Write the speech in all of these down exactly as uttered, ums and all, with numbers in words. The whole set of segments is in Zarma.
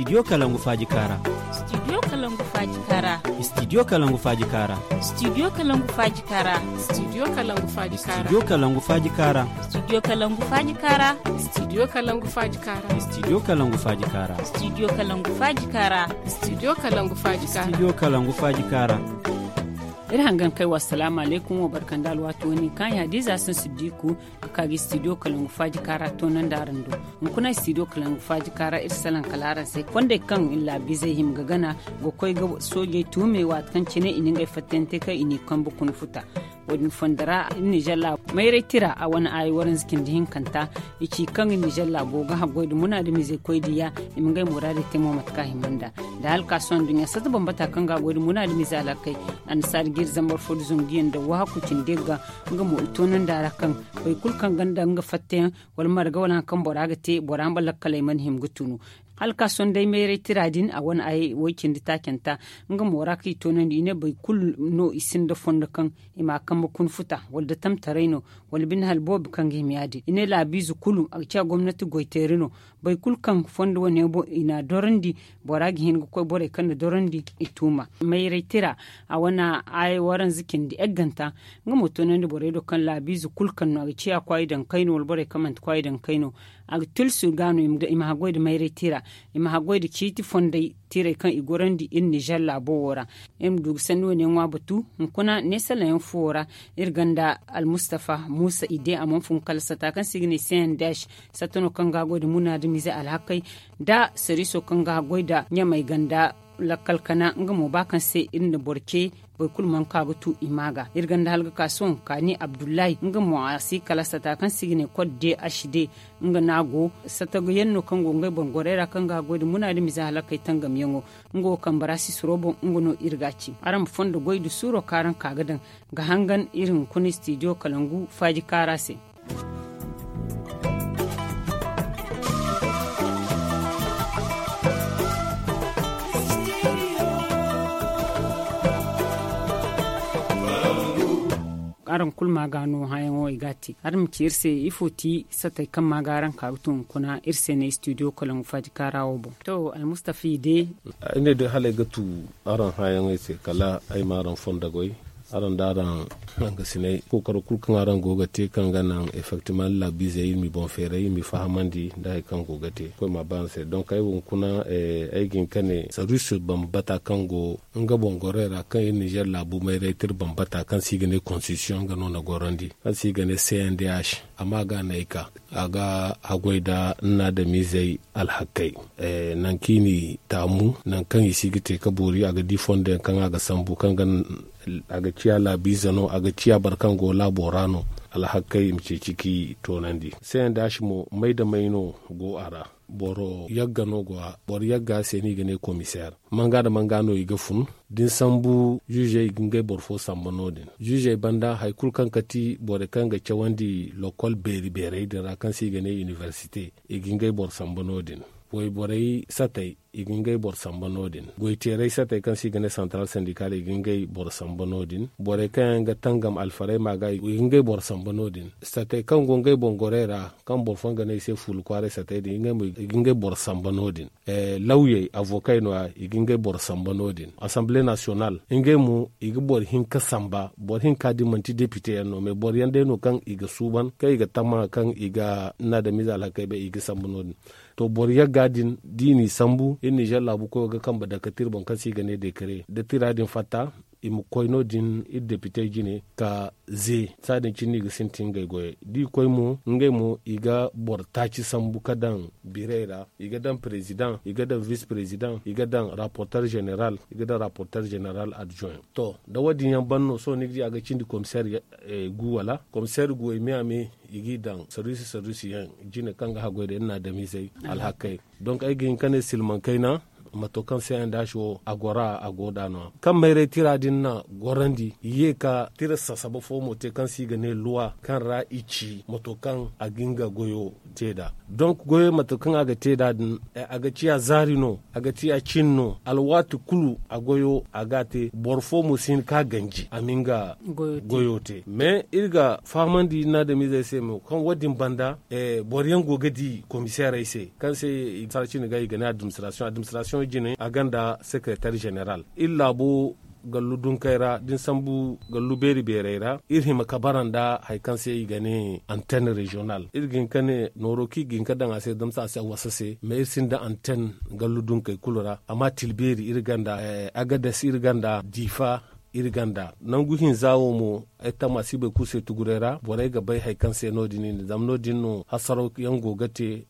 Studio kalangu faaji kaara. Studio kalangu faaji kaara. Studio kalangu faaji kaara. Studio kalangu faaji kaara. Studio kalangu faaji kaara. Studio kalangu faaji kaara. Studio kalangu faaji kaara. Studio kalangu faaji kaara. Studio kalangu faaji kaara. Studio kalangu faaji kaara. Studio kalangu faaji kaara. Studio kalangu faaji kaara. Iri hangan kay wa salaamu alaykum wa barkanda alwaati wani kaŋ ya diiza sun siddiku ka kaagi studio kalangu faaji kaara toonandi araŋ do. Hunkuna studio kalangu faaji kaara iri salaŋ kala araŋ se fondey kaŋ iri laabiizey hima ga gana ga koy ga soojey tuume waati kaŋ cine i na ngey fattante kaŋ i n'i kambe kuna futa. Wo- din fondo ra iri nizer laabu mayray tira a wane aayi waranza cindi hinkanta. I ci kaŋ iri nizer laabo ga haggoy nda munaadamizey koy diya i ma ngey muraadey te mo mate kaŋ a hima nd'a. Da hala ka sohõ nduɲɲa satta bambata kaŋ ga a goy nda munaadamizey alhakey annasaari ga iri zambar fo nda zangu yaŋ nda wahakku cindi yagga. Nga mo i toonandi a ra kaŋ boro kulu kaŋ gonda nga fattayaŋ wala marga wala hari kaŋ bora ga te bora ma lakkaley mana hima ga tunu. Hala ka sohõ day mayray tira din a wane ay way-cindi taacanta. Nga mo ra kaŋ i toonandi i ne boro kulu no i sinda fondo kaŋ i ma a kambe kuna futa wala da tamtaray no wala bine hala boobo kaŋ ga hima ya- din i ne laabiize kulu a ga ciya gomnati goy teeri no. Boro kulu kaŋ fondo wane boŋ i n'a dorandi bora ga hin ga koy borey kaŋ na dorandi i tuuma. Mayray tira a wane ay waranza cindi egganta. Nga mo toonandi borey do kaŋ laabiize kulu kaŋ no a ga ciya kwaayi daŋ kayno wala borey kaŋ manti kwaayi daŋ kayno. A ga tulsu ga no i ma haggoy nda mayray tira i ma haggoy nda ciiti fondey tirey kaŋ i gorandi iri nizer laabo wo ra. Iri ma du ga sanni wane ŋwa batu hunkuna neesalaŋ yaŋ fuwo ra. Iri gonda almustafa muusa i de a mana fun kala sata kaŋ se i ga ne cndh. Satta no kaŋ ga haggoy nda munaadamize alhakey nda sariiso kaŋ ga haggoy nda ɲamey ganda lakkal kana nga mo ba kaŋ se iri na boro ce. Boro kulu mana ka ga tu i ma ga iri gonda hala ga ka sohõ kaani abdullahi nga mo a si kala sata kaŋ se i ga ne kod de ashide. Nga no a go sata ga yaŋ no kaŋ go ngey boro gorey ra kaŋ ga haggoy nda munaadamize halakey tangamyaŋo. Nga wo kambe ra sisiro boŋ nga no iri ga a ci araŋ ma fondo goy nda suuro kaŋ araŋ ka ga daŋ ga hangan iri hunkuna studio kalangu faaji kaara se. Araŋ kulu ma ga no hããyaŋo i ga a te araŋ ma ci iri se ifo ti satey kaŋ ma ga araŋ ka ga tun hunkuna iri se ne studio kalangu faaji kaara wo boŋ. To almustafa i de. Ay ne day hala ay ga tu araŋ hããyaŋey se kala ay ma araŋ fondo goy. Araŋ da araŋ hangasinay kookaro kulu kaŋ araŋ go ga te kaŋ ga naŋ effectivement laabiizey iri m'i boŋ feeray iri m'i fahamandi nda hari kaŋ go ga te koy ma ba araŋ se donk ay wo hunkuna ay ga hin ka ne sarwiisi bambata kaŋ go nga boŋ gorey ra kaŋ iri nizer laabu mayray tira bambata kaŋ se i ga ne konstitisiyoŋ nga no na gorandi kaŋ se i ga ne cndh. Amma ga no ay ka a ga haggoy nda ni na adamizey alhakkey nangu kaŋ i n'i taamu nangu kaŋ i si ga te ka boori a ga di fondo yaŋ kaŋ a ga sambu kaŋ ga a ga ciya laabiize no a ga ciya boro kaŋ go laabo ra no. Alhakkey i ma ceeci k'i toonandi cndh mo may nda may no go a ra. Boro yagga no go a boro yagga se no i ga ne komiseer manga nda manga no i ga fun da ni sambu ziizey i ga ngey boro fo samba no- din ziizey banda hari kulu kaŋ kati borey kaŋ ga cawandi lokol beeri beerey din ra kaŋ se i ga ne inibersite i ga ngey boro samba no- din. Wayborey satey i ga ngey boro samba no- din goyteerey satey kaŋ se i ga ne santaral sandikal i ga ngey boro samba no- din borey kaŋ yaŋ ga tangam alfarayma ga i ga ngey boro samba no- din satey kaŋ go ngey boŋ gorey ra kaŋ boro fooyaŋ ga ne i se fuula kwaaray satey din ngey mo i ga ngey boro samba no- din. Lawyey avokey no- ya i ga ngey boro samba no- din asamble nasiyonal ngey mo i ga boro hinka samba boro hinka din manti depite yaŋ no mais boro yaŋ day no kaŋ i ga suuban kaŋ i ga tama kaŋ i ga ni na adamiize alhakey bay i ga samba no- din. To boro yagga din da i n'i sambu iri nizer laabu koyo ga kambe dake tira boŋ kaŋ se i ga ne dekare da tira din fatta i ma koy no- din iri depitey jine ka ze. Saa din cine no i ga sintin ngey goyey da i koy mo ngey mo i ga boro taaci sambu ka daŋ birey ra i ga daŋ perezidaŋ i ga daŋ vis perezidaŋ i ga daŋ raporter zeneral i ga daŋ raporter zeneral adjoin. To da wo- din yaŋ ban no sohõ ni ga di a ga cindi komiseer gu wala komiseer guwey me a me i g'i daŋ sarwiisi sarwiisi yaŋ jine kaŋ ga haggoy da iri na adamizey alhakkey. Donk ay ga hin ka ne silmaŋ kayna mato kaŋ se yaŋ da a si wo a gora a go da no- ya kaŋ mayray tira din na gorandi i ye ka tira sasaba fo mo te kaŋ se i ga ne luwa kaŋ ra i ci mato kaŋ a ga nga goyo te nd'a. Donk goyo mato kaŋ a ga te nd'a din a ga ciya zaari no, a ga ciya cin no. Alwaati kulu a goyo a ga a te boro fo mo si hin ka ganji a ma nga goyo te. Mais iri ga fahamandi iri na adamizey se mo kaŋ wo- din banda boro yaŋ go ga di komiseerey se kaŋ se i sara cine ga i ga ne adiminisitirasiyoŋ adiminisitirasiyoŋ jine a gonda sekeretar jeneral. Iri laabo gallu dunkey ra da ni sambu gallu beeri beerey ra iri hima ka bara nda hari kaŋ se i ga ne antenn reziyonal iri ga hin ka ne nooro kaŋ i ga hin ka daŋ a se zama se a si a wasa se mais iri sinda antenn gallu dunkey kulu ra amma tilbeeri iri gonda, agades iri gonda diifa, iri gonda nangu hinza wo mo. Ay tammaasi boro kulu se tuguray ra borey ga bay hari kaŋ se no- din i ne zama no- din no hasaraw yaŋ go ga te.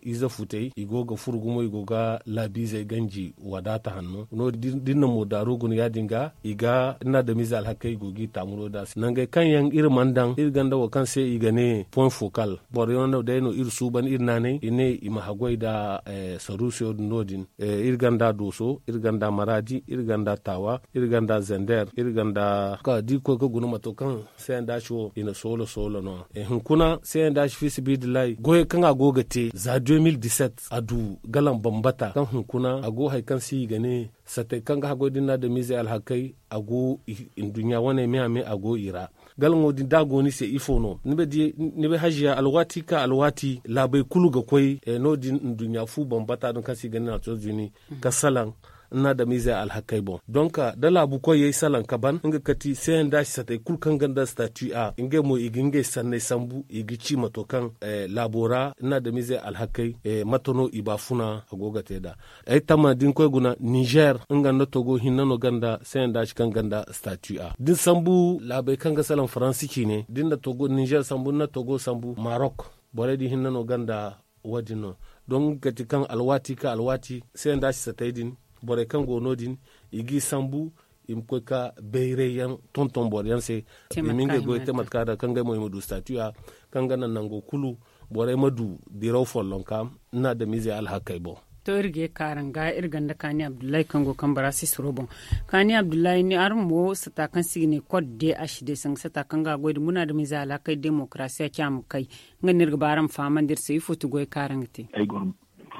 Ize futey i go ga furo gumo i go ga laabiizey ganji wadaata hanno no- din da iri na moodaaru guna ya- din ga i ga iri na adamiize alhakey i go ga i taamu no- din a se nangey kaŋ yaŋ iri mana daŋ iri gonda wo kaŋ se i ga ne point focal boro yaŋ no day no iri suuban iri naanay i ne i ma haggoy nda saruusiyo din no- din. Iri gonda dooso iri gonda maraadi iri gonda taawa iri gonda zender iri gonda ka da i koy ga guna mato kaŋ se yaŋ da a ci wo i na soolo soolo no- ya hunkuna se yaŋ da a ci fiisabilillahi goyey kaŋ a go ga te za deux mille dix-sept a du galaŋ bambata kaŋ hunkuna a go hari kaŋ se i ga ne satey kaŋ ga haggoy da ni na adamiizey alhakey a go nduɲɲa wane me a me a go i ra. Galaŋo din da a go ni se ifo no ni bay haziya alwaati ka alwaati laabey kulu ga koy no- din nduɲɲa fu bambata din kaŋ se i ga ne nations unis ka salaŋ ni na adamiizey alhakey boŋ donk da laabu koyey salaŋ ka ban nga kati se yaŋ da a ci satey kulu kaŋ gonda statu a ngey mo i ga ngey sanney sambu i ga ci mato kaŋ laabo ra ni na adamiizey alhakey mate no i baafuna a go ga te nd'a. Ay tamma da ni koy guna nizer nga nda togo hinne no gonda se yaŋ da a ci kaŋ gonda statu a da ni sambu laabey kaŋ ga salaŋ faransi ciine da ni na togo nizer sambu ni na togo sambu marok borey din hinne no gonda. Wo- din no donk nga kati kaŋ alwaati ka alwaati se yaŋ da a ci satey din borey kaŋ go no- din i g'i sambu i ma koy ka bayray yaŋ tonton boro yaŋ se i ma ngey goy te mate kaŋ a daŋ kaŋ ngey mo i ma du statu a kaŋ ga naŋ nango kulu borey ma du diraw follonka ni na adamiizey alhakey boŋ. To iri ga ye ka araŋ ga iri gonda kaani abdullahi kaŋ go kambe ra sisiro boŋ. Kaani abdullahi ni araŋ mo sata kaŋ se i ga ne kod de a si de sanga sata kaŋ ga a goy da muna adamiizey alhakey demokarasiya ci a ma kay nga no iri ga ba araŋ ma fahamandi iri se ifo ti goy kaŋ araŋ ga te. Ay goro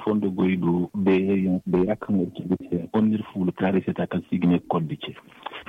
fondo goy do beerey yaŋ bayra kaŋ war cindi se konda iri fuula kaaray sata kaŋ se i ga ne kod de ce.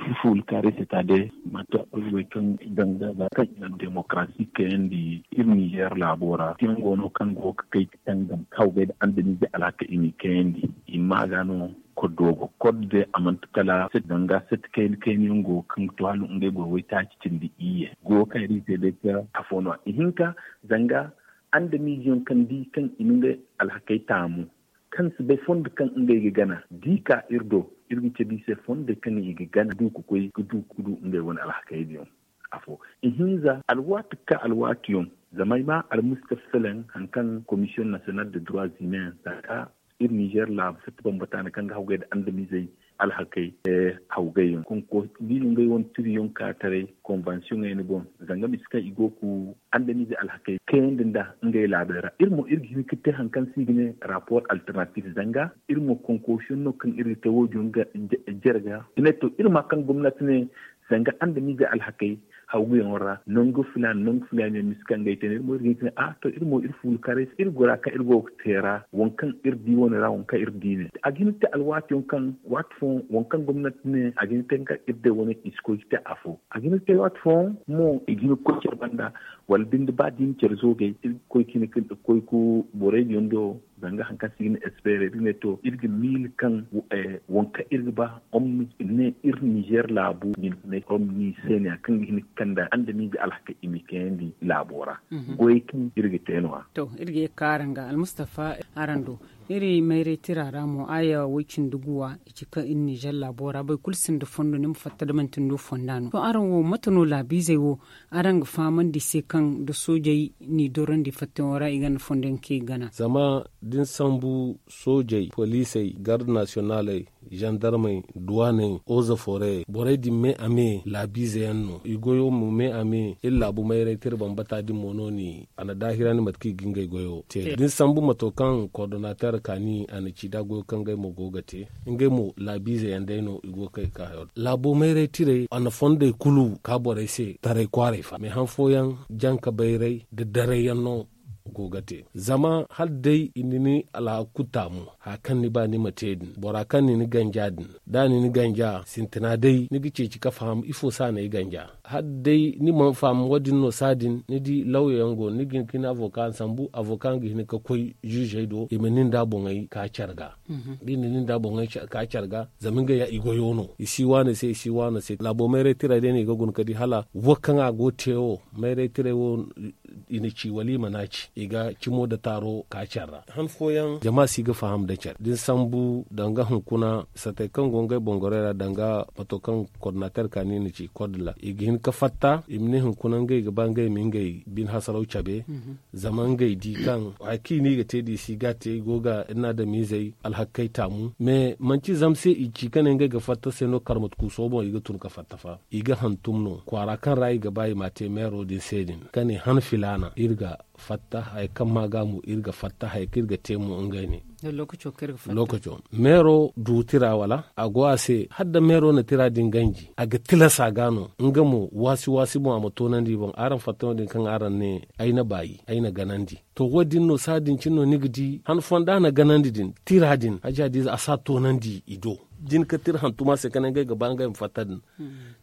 Iri fuula kaaray sata day mate a koy goy kaŋ danga za kaŋ i na demokarasi kayandi iri nizer laabo ra tiyaŋ go no kaŋ go ga kay ga tangam kaw gay nda andamize alhaka i m'i kayandi i ma ga no. Koddo go koddo day a manti kala danga sati kayna kayna yaŋ go kaŋ ga to hala ngey boro waytaaci cindi iyye go kaŋ iri se day ka afo no a ihinka. Zanga andamize yaŋ kaŋ di kaŋ i na ngey alhakey taamu kaŋ si bay fondo kaŋ ngey ga gana da i ka iri do iri ga cabe i se fondey kaŋ i ga gana du ga koy ga du ga du ngey wane alhakey din. Afo ihinza alwaati ga ka alwaati yaŋ zama ay ma almustafa selen hari kaŋ komisiyoŋ nasiyonal de droit humain za ka iri nizer laabu fatta bambata no kaŋ ga hawgay nda andamizey alhakey. Hawgay yaŋ konko da i na ngey wane tiriyoŋ ka taray konvansiyoŋey ni boŋ zanga misa kaŋ i go ga andamize alhakey kayandi nda ngey laabey ra iri mo iri ga hin ga te hari kaŋ se i ga ne rapor alternatif zanga iri mo konkosiyoŋ no kaŋ iri ga te wo- din jere ga i ne to iri ma kaŋ gomnati ne zanga andamize alhakey hawguyaŋo ra nangu filaana nangu filaana yaŋ misa kaŋ ga ay te no iri mo iri ga hin ga ne a to iri mo iri fuula kaaray se iri gora kaŋ iri go ga te ra waŋ kaŋ iri di wane ra waŋ kaŋ iri di ne a ga hin ga te alwaati yaŋ kaŋ waati fooyaŋ waŋ kaŋ gomnati ne a ga hin ga te nga iri day wane i si koy ga te afo a ga hin ga te waati fooyaŋ mo i ga hin ga koy care banda wala binde ba da i na care zoogay iri ga koy ga hin ga koy ga borey din do zanga hari kaŋ se i ga ne espere iri ne to iri ga miila kaŋ waŋ kaŋ iri ga ba omni ne iri nizer laabu din ne omni se ne ya kaŋ ga hin ga kande andamize alhaka i ma i kayandi laabo ra goyey kaŋ iri ga te no- ya. To iri ga ye ga ka araŋ ga almustafa araŋ do iri mayray tira ra mo aya way cindi guwa i ci kaŋ iri nizer laabo ra boro kulu sinda fondo ni ma fatta da manti ni do fonda no to araŋ wo mate no laabiizey wo araŋ ga fahamandi i se kaŋ da soojey n'i dorandi fattayaŋo ra i gonda fondo yaŋ kaŋ i ga gana. Zama da ni sambu soojey poliisey garde nasiyonaaley zandarmey, duwaaney, oza foorey borey din me a me laabiize yaŋ no i goyo mo me a me iri laabu mayray tira bambata din mo no ni a na daahirandi mate kaŋ i ga ngey goyo te da ni sambu mato kaŋ kordonaater kaani a na ci da goyo kaŋ ngey mo go ga te. Ngey mo laabiize yaŋ day no i go ga kay ga ka hayo din laabo mayray tirey a na fondey kulu ka borey se taray kwaaray fa me han fooyaŋ janka bayray nda daray yaŋ no go ga te. Zama hala day i na ni alhaku taamu haya kaŋ ni ba ni ma te din bora kaŋ na ni ganja din da a na ni ganja sintina day ni ga ceeci ka faham ifo se a na ay ganja. Hala day ni mana faham wo- din no saadin ni di lawya yaŋ go no ni ga hin ka ni avoka sambu avoka ga hin ka koy ziizey do i ma nin da boŋey ka care ga. Da i na nin da boŋey ka care ga zama ngey ya i goyo no i si waano se i si waano se laabo mayray tira day no i ga guna ka di hala wo kaŋ a go ga te wo mayray tiray wo i na ci wala i mana ci i ga cimo nda taaro ka care ra han fooyaŋ jama si ga faham nda care da ni sambu danga hunkuna satey kaŋ go ngey bongorey ra danga mato kaŋ kordonaater kaani na ci kordila i ga hin ka fatta i ma ne hunkuna ngey ga ba ngey ma ngey bine hasaraw cabe. Zama ngey di kaŋ haya kaŋ i ne i ga te da i si ga te i go ga iri na adamiizey alhakkey taamu me manti zama se i ci ka ne ngey ga fatta se no karmatu kuuso boŋ i ga tun ka fatta fa i ga hantum no kwaara kaŋ ra i ga ba i ma a te meero din se din ka ne han filaana iri ga fatta haya kaŋ ma ga mo iri ga fatta haya kaŋ iri ga te mo ngey ne. Lookaco meero du tira wala a go a se hala da meero na tira din ganji a ga tilas a ga no nga mo waasi waasi boŋ a ma toonandi i boŋ araŋ fatta no- din kaŋ araŋ ne ay na baayi ay na ganandi. To wo- din no saadin cine no ni ga di han fooyaŋ da a na ganandi din tira din haja da a si a toonandi i do. Da ni ka tira hantuma se ka ne ngey ga ba ngey ma fatta din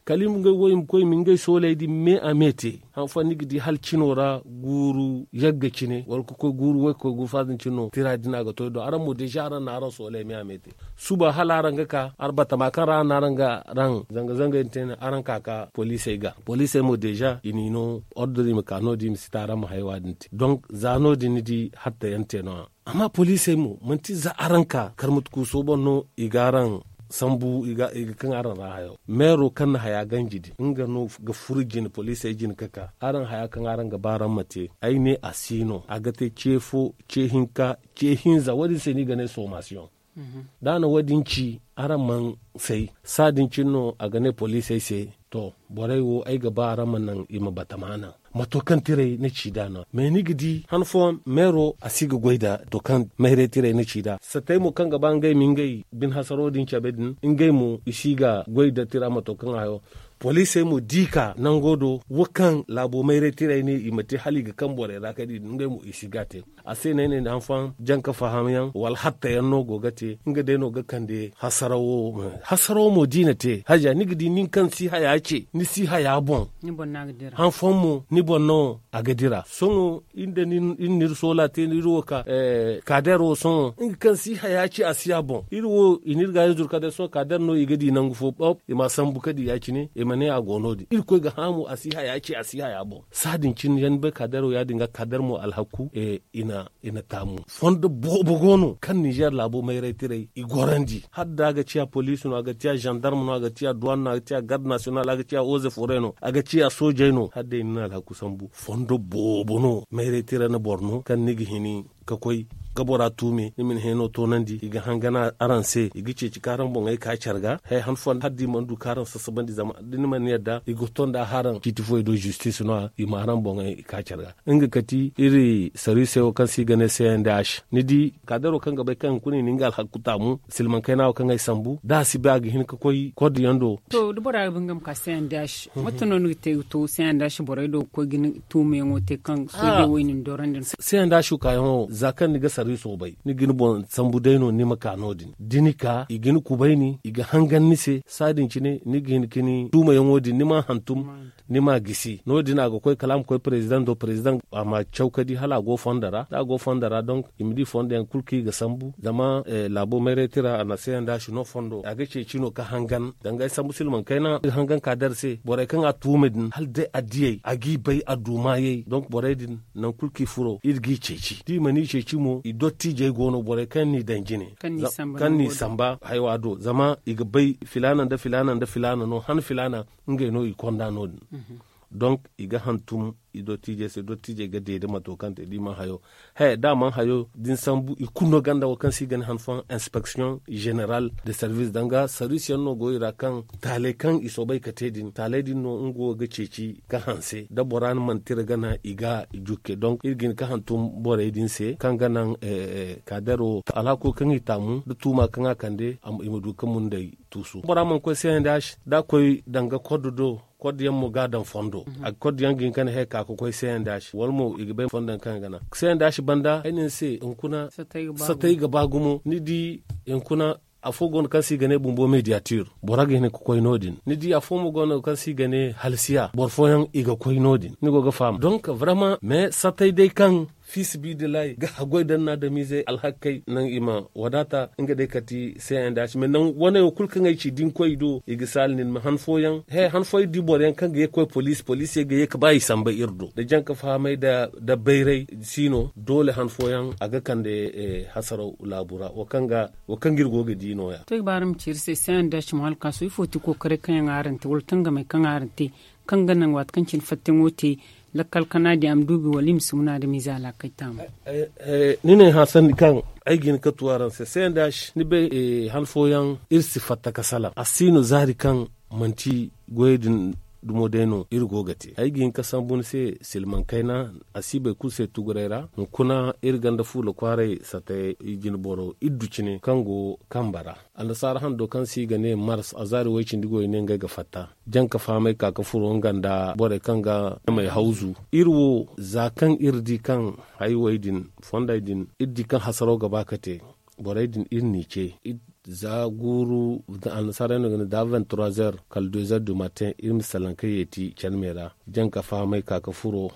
kala i ma ngey wo i ma koy i ma ngey sooley din me a me te. Han fooyaŋ ni ga di hala cino ra guuru yagga cine wala ka koy guuru waykoy guuru faadin cine no tira din a ga to ay do araŋ mo deeza araŋ na araŋ sooley me a me te. Suba hala araŋ ga ka araŋ batama kaŋ ra araŋ na araŋ ga araŋ zanga zanga yaŋ te ne araŋ ka ka poliisey ga poliisey mo deeza i n'i no ordre i ma ka no- din i ma si ta araŋ ma haya wo- din te donk za no- din ni di hatta yaŋ te no- ya. Amma poliisey mo manti za araŋ ka karmatu kuuso boŋ no i ga araŋ sambu i ga kaŋ araŋ ra hayo meero kaŋ na haya ganji din nga no ga furu jine poliisey jine ka ka araŋ haya kaŋ araŋ ga ba araŋ ma te ay ne a si no a ga te ce fo ce hinka ce hinza wo- din se no i ga ne soomasiyoŋ. Da a na wo- din ci araŋ mana say saadin cine no a ga ne poliisey se to borey wo ay ga ba araŋ ma naŋ i ma batama naŋ mato kaŋ tiray ni ci da no mais ni ga di han fooyaŋ meero a si ga goy nda to kaŋ mayray tiray ni ci da satey mo kaŋ ga ba ngey ma ngey bine hasaro din cabe din ngey mo i si ga goy nda tira mato kaŋ hayo poliisey mo da i ka nango do wo kaŋ laabo mayray tiray ne i ma te hala i ga kaŋ borey ra kala i din ngey mo i si ga a te. A se no ay ne ni han fooyaŋ jaŋ ka faham yaŋ wala hatta yaŋ no go ga te nga day no ga kande hasarawo. Hasarawo mo da i na te haja ni ga di nin kaŋ si haya ce ni si haya boŋ han fooyaŋ mo ni boŋ no a ga dira sohõ iri nda nin iri na iri soola te no iri wo ka kaader wo sohõ nga kaŋ si haya ce a si a boŋ iri wo i na iri ga yaŋ zuru ka day sohõ kaader no i ga di nangu fo ɓop i ma a sambu ka di ya- cine i ma ne a go no- din irkoy ga hã mo a si haya ce a si haya boŋ saadin cine yaŋ ni bay kaader wo ya- din ga kaader mo alhaku i na taamu fondo boobo go no kaŋ ninzeer laabo mayray tiray i gorandi hala da a ga ciya poliisi no a ga ciya zandarm no a ga ciya duwaan no a ga ciya garde nasiyonal a ga ciya oze fore no a ga ciya soojey no hala day ni na alhaku sambu fondo boobo no mayray tiray na boro no kaŋ ni ga hini ka koy ga bora tuume ni ma ni hẽeno toonandi i ga hangan araŋ se i ga ceeci ka araŋ boŋey ka care ga haya han fooyaŋ hala da i mana du ka araŋ sasabandi zama da ni mana ni yadda i ga to nda haraŋ ciiti fooyaŋ do zistis no- ya i ma araŋ boŋey ka care ga nga kati iri sarwisey wo kaŋ se i ga ne c n d h ni di kaadaro kaŋ ga bay kaŋ hunkuna i na nga alhaku taamu silmaŋ kayna wo kaŋ ay sambu da a si bay a ga hin ka koy kord yaŋ do. To da bora ga ba nga ma ka c n d h mate no ni ga te ga to c n d h borey do ga koy ga ni tuumayaŋo te kaŋ soojey wo i na ni dorandi no. C n d h kaayaŋo za kaŋ ni ga sarwiso bay ni ga ni boŋ sambu day no ni ma ka no- din da ni ka i ga ni kubayni i ga hangan ni se saadin cine ni ga hin ka ni tuumayaŋo din ni ma hantum ni ma gisi no- din a ga koy kala a ma koy perezidaŋ do perezidaŋ a ma caw ka di hala a go fondo ra da a go fondo ra donk i ma di fondo yaŋ kulu kaŋ i ga sambu zama laabo mayray tira a na c n d h no fondo a ga ceeci no ka hangan danga ay sambu silmaŋ kayna ga hangan ka dar se borey kaŋ a tuuma din hala day a diyey a g'i bay a du maayey donk borey din nangu kulu kaŋ i furo iri g'i ceeci da i mana i ceeci mo i dottiijey go no borey kaŋ n'i daŋ jine kaŋ n'i samba haywa do zama i ga bay filaana nda filaana nda filaana no han filaana ngey no i konda no- din donk i ga hantum i dottiijey se dottiijey ga deede mato kaŋ te da i mana hayo. He da a mana hayo da ni sambu i kulu no ganda wo kaŋ se i ga ne han fooyaŋ inspeksiyoŋ zeneral de service danga service yaŋ no go i ra kaŋ taaley kaŋ i soobay ga te din taaley din no nga wo ga ceeci ga hanse da bora ni mana tira gana i ga jukke donk iri ga hin ga hantum borey din se kaŋ ga naŋ kaadaro alhako kaŋ i taamu da tuuma kaŋ a kande i ma du ga mundey tuusu bora mana koy se yaŋ da a si da a koy danga koddo do koddo yaŋ mo ga a daŋ fondo a ga koddo yaŋ ga hin ga ne he ka ga koy se yaŋ da a si wala mo i ga bay fondo yaŋ kaŋ ga naŋ se yaŋ da a si banda ay ne ni se hunkuna satay ga ba gumo ni di hunkuna afo go no kaŋ se i ga ne bumbo mediatir bora ga hin ga koy no- din ni di afo mo go no kaŋ se i ga ne halsiya boro fooyaŋ i ga koy no- din ni go ga faham donk vraiment mais satay day kaŋ fiisabilillahi ga haggoy daŋ no adamiizey alhakey naŋ i ma wadaata nga day kati se yaŋ da a si mais naŋ wane wo kulu kaŋ ay ci da ni koy i do i ga saala nin ma han fooyaŋ he han fooyaŋ iri di boro yaŋ kaŋ ga ye ga koy poliisi poliisey ga ye ga ba i samba iri do da jaŋ ga fahamay nda bayray si no doole han fooyaŋ a ga kande hasaraw laabu ra wo kaŋ ga iri go ga di no- ya. To iri ga ba araŋ ma ci iri se se yaŋ da a si mo hala ga ka sohõ ifo ti kookaray kaŋ yaŋ araŋ te wala tangamey kaŋ araŋ te kaŋ ga naŋ waati kaŋ cine fattayaŋo te lakkal kana din a ma duubi wala i ma si muna adamiize alaakay taamu. Ni ne hã sanni kaŋ ay ga hin ga tu araŋ se se yaŋ da a si ni bay han fooyaŋ iri si fatta ga salaŋ a si no zaari kaŋ manti goyey din dumo day no iri go ga te ay ga hin ga sambu ni se silmaŋ kayna a si bay kulu se tuguray ra hunkuna iri ganda fuula kwaaray satta jinboro iddu cine kaŋ go kambe ra annasaara hando kaŋ se i ga ne mars a zaari way-cindi goy ne ngey ga fatta jaŋ ga fahamay ka ga furo nga nda borey kaŋ ga may hawzu iri wo za kaŋ iri di kaŋ haywey din fondey din iri di kaŋ hasaraw ga ba ga te borey din iri n'i ce za guuru annasaarey no ga ne da vingt trois heures kala deux heures du matin iri ma salaŋ ga yeeti care me ra jaŋ ga fahamay ka ga furo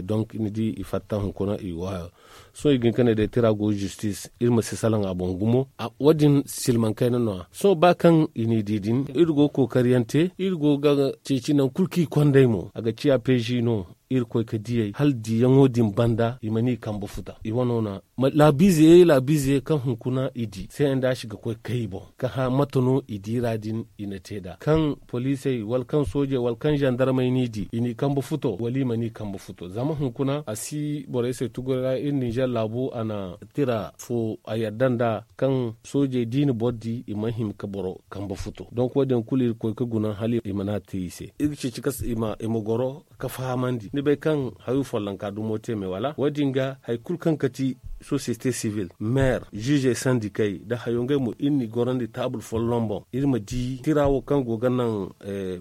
donk ni di i fatta hunkuna i go hayo sohõ i ga hin ga ne day tira go zistis iri ma si salaŋ a boŋ gumo wo- din silmaŋ kayna no- ya sohõ ba kaŋ i n'i di din iri go ga kookari yaŋ te iri go ga ceeci nangu kulu kaŋ i kond'ey mo a ga ciya peezi no iri koy ga diy'ey hala diyaŋo din banda i mana i kambe futa i wano na laabiize laabiize kaŋ hunkuna i di se yaŋ da a si ga koy ga kay i boŋ ga hã mate no i di ra din i na te nd'a kaŋ poliisey wala kaŋ soojey wala kaŋ zandarmey n'i di i n'i kambe futo wala i mana i kambe futo zama hunkuna a si borey se tuguray ra iri ninzeer laabu a na tira fo a yadda nd'a kaŋ soojey da i na boro di i mana hima ga boro kambe futo donk wo- din kulu iri koy ga guna hala i mana te i se iri ga ceeci kaŋ i ma goro ga fahamandi ni bay kaŋ hayo follonka dumo te me wala wo- din ga hari kulu kaŋ ga ti sosiyete sivil meer ziizey sandikey nda hayo ngey mo iri n'i gorandi taabul folloŋ boŋ iri ma di tira wo kaŋ go ga naŋ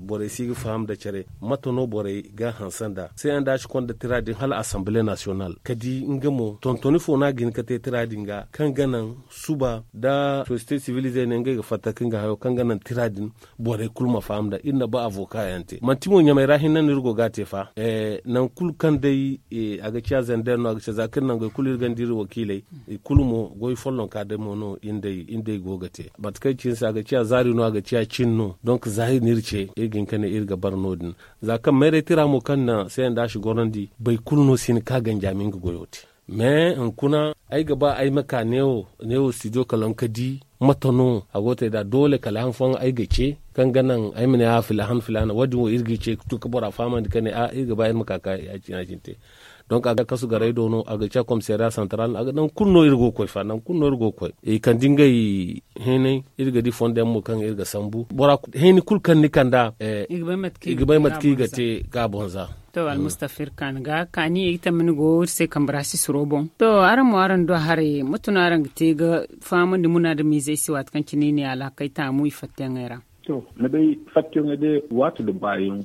borey si ga faham nda care mate no borey ga a hanse nd'a se yaŋ da a si konda tira din hala asambile nasiyonal ga di nga mo tontoni fo no a ga hin ga te tira din ga kaŋ ga naŋ suba nda sosiyete sivil izey ne ngey ga fatta ga nga hayo kaŋ ga naŋ tira din borey kulu ma faham nd'a iri na ba avoka yaŋ te manti mo ɲamey ra hinne no iri go ga a te fa nangu kulu kaŋ day a ga ciya zander no a ga ciya za kaŋ iri nangey kulu iri gonda iri wakiiley i kulu mo goy follonka day mo no iri nd'ey go ga te mate kaŋ ay ci ni se a ga ciya zaari no a ga ciya cin no donk za iri no iri ce iri ga hin ga ne iri ga bara no- din za kaŋ mayray tira mo kaŋ na se yaŋ da a si gorandi boro kulu no si hin ga ka ganji a ma nga goyo te mais hunkuna ay ga ba ay ma ka neewo studio kalaŋ ga di mate no a go ga te nd'a doole kala han fooyaŋ ay ga ce kaŋ ga naŋ ay ma ne a filahan filaana wo- din wo iri g'i ce ga tun ga bora fahamandi ka ne a iri ga ba iri ma ka ga ya- cine te donk a ga kasu garay do no a ga ciya komisariya santaral no a ga nangu kulu no iri go ga koy fa nangu kulu no iri go ga koy i kande ngey heenay iri ga di fondo yaŋ mo kaŋ iri ga sambu bora heenay kulu kaŋ ni kand'a i ga bay mate kaŋ i ga te ga a boŋ za. To almustafa iri kaani ga kaani ay ga tamma ni go iri se kambe ra sisiro boŋ to araŋ mo araŋ du haray mate no araŋ ga te ga fahamandi munaadamiizey se waati kaŋ cine i ne alhakey taamu i fattayaŋey ra. To ni bay fattiyoŋey day waati nda baayaŋ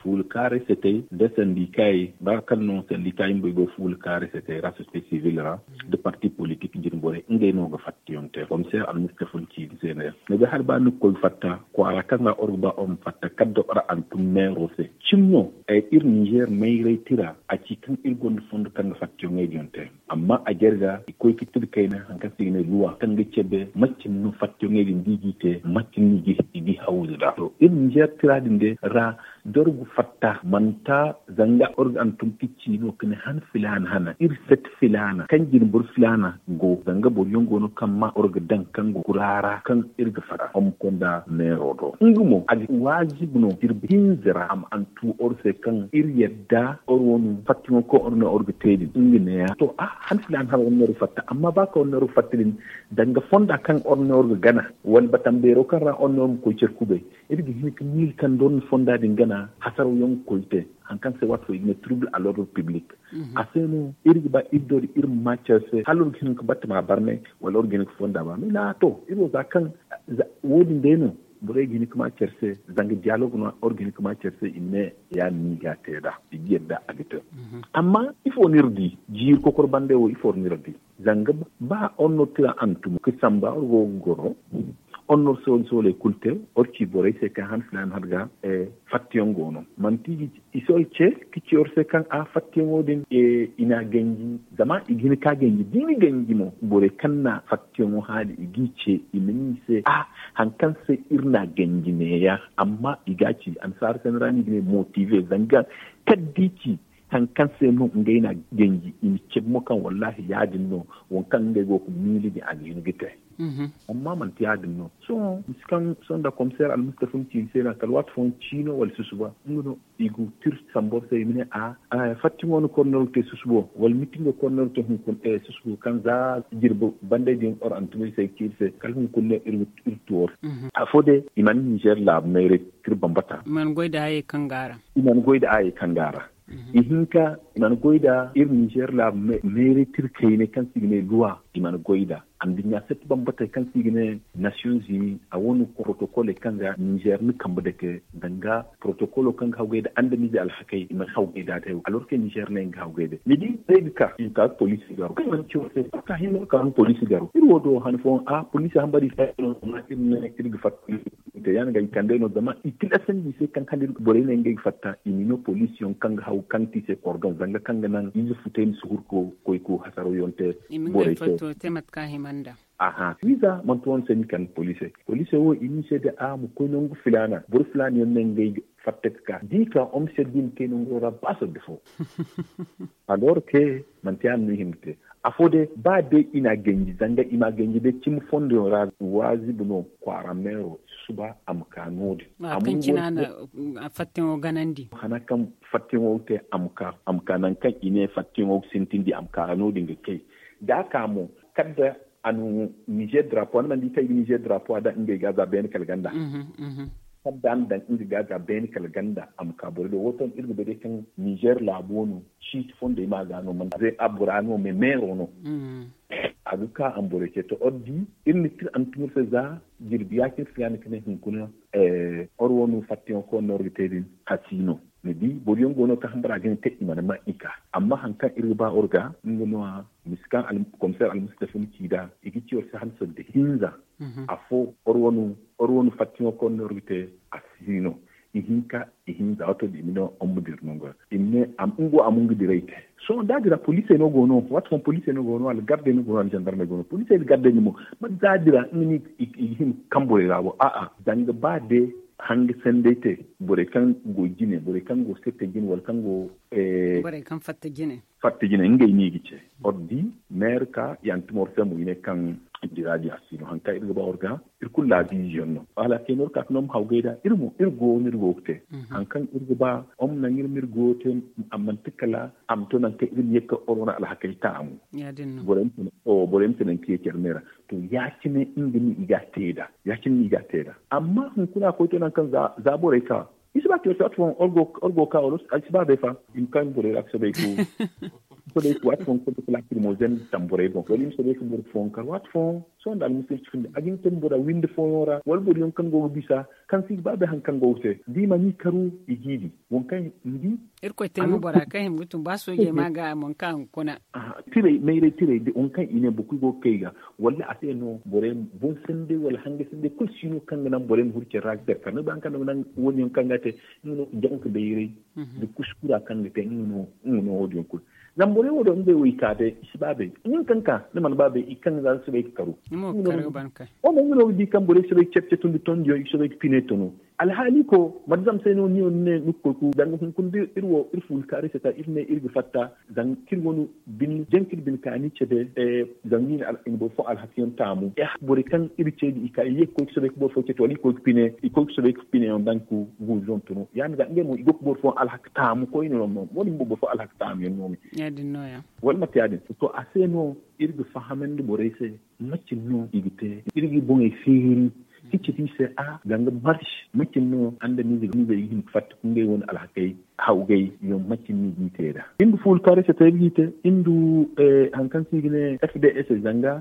fuula kaaray se te nda sandikaayey ba kaŋ no sandikaayey bumbo i go fuula kaaray se te ra sosiyete sivil ra nda parti politik jinborey ngey no ga fattiyoŋ te komiseer almustafa ni ci ni se ne ni bay hala ba ni ga koy ga fatta kwaara kaŋ ra or ga ba or ma fatta kala da or hantum meero se cimi no iri ninzeer mayray tira a ci kaŋ iri gonda fondo kaŋ ga fattiyoŋey din te amma a jarga i koy ga tira kayna hari kaŋ se i ga ne luwa kaŋ ga cabe macin no fattiyoŋey din da i g'i te macin no i g'i hawzu nd'a to iri ninzeer tira din day ra Dorgu fatta manta zanga orga antum kici no kane han filaana hana iri set filaana kan jin bor filaana go zanga bor yaŋ go no kan ma orga dan kan go kurara kan iri ga fatta hom konda neero do nga mo a ga wajibi no jirbi hinzira am antu or se kan iri yadda or wonu fattiŋo ko or ne or ga te din nga ne ya to a han filaana hana or ne or ga fatta amma ba ka or ne or ga fatta din danga fonda kan or ne or ga gana wala batambeero kan ra or ne or ga koy cer kubay iri ga hin ga miila kaŋ da war na fonda din gana hasaraw yaŋ ga koy te. Hari kaŋ se waati fo i ga ne trouble à l'ordre public. A se no iri ga ba iri do da iri ma ma care se hala war ga hin ga batta ma barmay wala war ga hin ga fonda barmay na to iri wo za kaŋ wo- din day no borey ga hin ga ma care se. Zanga dialogue no war ga hin ga ma care se i ma ne ya- din no i ga a te nd'a i ga yadda a ga te. Amma ifo no iri di jiiri kokoro bande wo ifo no iri di zanga ba honor tira hantum ga samba war go ga goro honor soole sooley kulu te war ci borey se kaŋ han filaana har ga fattiyaŋ go no manti i si war ce ka ci war se kaŋ a fattiyaŋo din i n'a ganji zama i ga hin ka ganji da i na ganji mo borey kaŋ na fattiyaŋo haali i g'i ce i ma ne i se a hari kaŋ se iri n'a ganji neeya amma i ga a ci annasaara sanda ra no i ga ne motive zanga kala da i ci hari kaŋ se no ngey n'a ganji i ma cabe mo kaŋ wallaahi ya- din no waŋ kaŋ ngey go ga miila din a ga hin ga te. Amma manti ya- din no sohõ misi kaŋ sohõ nda komiseer almustafa ma ci ni se no kala waati fooyaŋ ciino wala susuba nga no i ga tir sambu war se i ma ne a fattiŋo no korneer ga te susubo wala mitingo korneer ga te hunkuna susubo kaŋ za jirbi bandey din or antumay se ga ci iri se kala hunkuna no iri tu war afo day i mana nizer laabu mayray tir bambata i mana goy da hayey kaŋ ga a ra i hinka i mana goy da iri nizer laabu mayray tir kaynay kaŋ se i ga ne luwa i mana goy da anduɲɲa satti bambatey kaŋ se i ga ne nation zini a wane protokoley kaŋ ga nizer na kambe dake danga protokolo kaŋ ga hawgay da andamize alhakey i mana hawgay da te alorke nizer ne nga hawgay da ni di day ga ka i ga ka ga poliisi garo kaŋ mana ci war se ka hinne war ka ga poliisi garo iri wo do han fooyaŋ a poliisi hambari se no zama iri ne iri ga fatta te ya- din ga i kandey no zama i tilasandi i se kaŋ hali borey ne ngey ga fatta i ma i no poliisiyaŋ kaŋ ga haw kaŋ ti i se kordon zanga kaŋ ga naŋ ize futey ma si hurko koy ga hasaraw yaŋ te borey se. Te mate kaŋ a hima nd'a. Aha wiiza manti wane se ni kande poliisey poliisey wo i ne i se da a ma koy nangu filaana boro filaana yaŋ ne ngey ga fatta ga ka da i ka hom se da i ma kay nango ra ba sorro fo. Alor ke manti ya- din no i hima ga te afo day ba day i n'a ganji zanga i m'a ganji day cimi fondo yaŋ ra waazibi no kwaara meero susuba a ma ka no- din. Fattiŋo ganandi hana kaŋ fattiŋo ga te a ma ka nangu kaŋ i ne fattiŋo ga sintindi a ma ka no- din ga kay da a ka mo kala da a na nizer drapo a na mana di kaŋ i ga nizer drapo a daŋ ngey ga za beene kala ganda kala da a na daŋ nga ga za beene kala ganda a ma ka borey do wo to iri ga bay day kaŋ nizer laabo no ciiti fondey ma ga no mana zay a bora no me meero no a ga ka a ma borey ce to or di iri na tir a na tun iri se za jirbi ya-cine se ya- din ka ne hunkuna or wo no fattiŋo kaŋ war no war ga te din a si no ni di boro yaŋ go no kaŋ hambara ga ne te i mana ma i ka amma hari kaŋ iri ga ba war ga nga no- ya misi kaŋ komiseer almustafa na ci nd'a i ga ci war se hala sanda hinza afo or wo no fattiŋo kaŋ war no war ga te a si no ihinka ihinza wato da i ma ne war ma dira nango ra i ma ne nga wo a ma nga diray te sohõ da a dira poliisey no go no waati fooyaŋ poliisey no go no wala gardey no go no wala zandarmey go no poliisey nda gardey nin mo mate za a dira nga no i ga hima ga kaŋ borey ra wo a'a zanga ba day hanga sanday te borey kaŋ go jine borey kaŋ go sette jine wala kaŋ go borey kaŋ fatta jine fatta jine ngey no i ga ce or di meere ka ya- din tuma war se mo i ne kaŋ dira di a si no hari kaŋ iri ga ba war ga iri kulu laabiize yaŋ no hala kay no iri ka ga no ma hawgay nd'a iri mo iri go no iri go ga te hari kaŋ iri ga ba war ma naŋ iri ma iri goyo te a manti kala a ma to nangu kaŋ iri ma ye ga ka or wane alhakey taamu borey ma si naŋ ka ye care me ra to ya- cine nga no i ga a te nd'a ya- cine no i ga a te nd'a amma hunkuna a koy to nangu kaŋ za borey ka i si ba care se waati fooyaŋ or go ga ka wala ay si ba bay fa i ma ka nga borey ra ga soobay ga soobay ga waati fooyaŋ ga soobay ga laakil mo zandi tamborey boŋ wala i ma soobay ga boro fooyaŋ kar waati fooyaŋ sohõ nda almusulci findi a ga hin ga te bora windi fooyaŋ ra wala boro yaŋ kaŋ go ga bisa kaŋ si ga ba bay hari kaŋ go ga te da i mana i karu i g'i di waŋ kaŋ ni di irkoy te no bora kaŋ hima ga tun ba soojey ma ga a mana ka hunkuna tirey mayray tirey da waŋ kaŋ i ne boro kulu go ga kay ga walla a se no borey boŋ sanday wala hanga sanday kulu si no kaŋ ga naŋ borey ma huru care ra ga care kar ni bay hari kaŋ no ga naŋ wo- din yaŋ kaŋ ga te nga no janka bayray nda kuskura kaŋ ga te nga no wo- din yaŋ kulu zama borey wo- din ngey wo i ka day i si ba bay nin kaŋ ka ni mana ba bay i kaŋ ga za soobay ga karu nga no ga di kaŋ borey soobay ga care care tun da tondiyaŋ i soobay ga pine tunu Alhaali ko mate zama se no ni wo ni ne ni ga koy ku zanga hunkuna da iri wo iri fuula kaaray se ta iri ne iri ga fatta. Zanga kaŋ iri wane bine janka iri bine kaani cabe. Zanga i na boro fo alhaka yaŋ taamu borey kaŋ iri ce da i ka i ye ga koy ga soobay ga boro fo ce to wala i koy ga pine i koy ga soobay ga pine yaŋ daŋ ga guuzu yaŋ tunu ya- din ga ngey mo i go ga boro fo alhaka taamu koyne no mo wo- din mo boro fo alhaka taamu yaŋ no me. Wala mate ya- din to a se no iri ga fahamandi borey se macin no i ga te iri ga i boŋey feeri ka ci da i se a zanga marsi macin no andamiizey ga hin ga fatta ka ngey wane alhakey hawgay yaŋ macin no i ga i te nd'a. Iri nda fuula kaaray se te iri ga i te iri nda hari kaŋ se i ga ne f d s zanga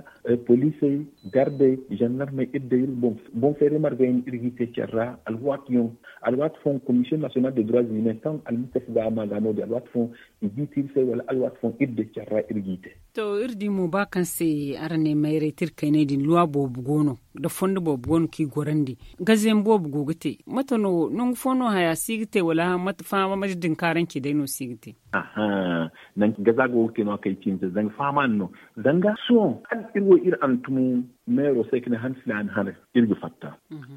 poliisey, gardey, zandarmey iri day iri boŋ feeray marga yaŋ iri ga i te care ra. Alwaati yaŋ alwaati fooyaŋ komisiyoŋ nasiyonal de dura zimen kaŋ almustafa ga a ma ga no- din alwaati fooyaŋ i ga i te iri se wala alwaati fooyaŋ iri day care ra iri ga i te. To iri di mo ba kaŋ se araŋ ne mayray tirkayney din luwa boobo go no nda fondo boobo go no kaŋ i gorandi. Gazeyaŋ boobo go ga te mate no nangu fo no haya si ga te wala fahama maje din kaarancey day no si ga te? Aha. Nangu gaza go ga te no a kay ciine se zanga fahama no zanga sohõ hala iri wo iri hantumo meero se ka ne han filaana hane iri ga fatta.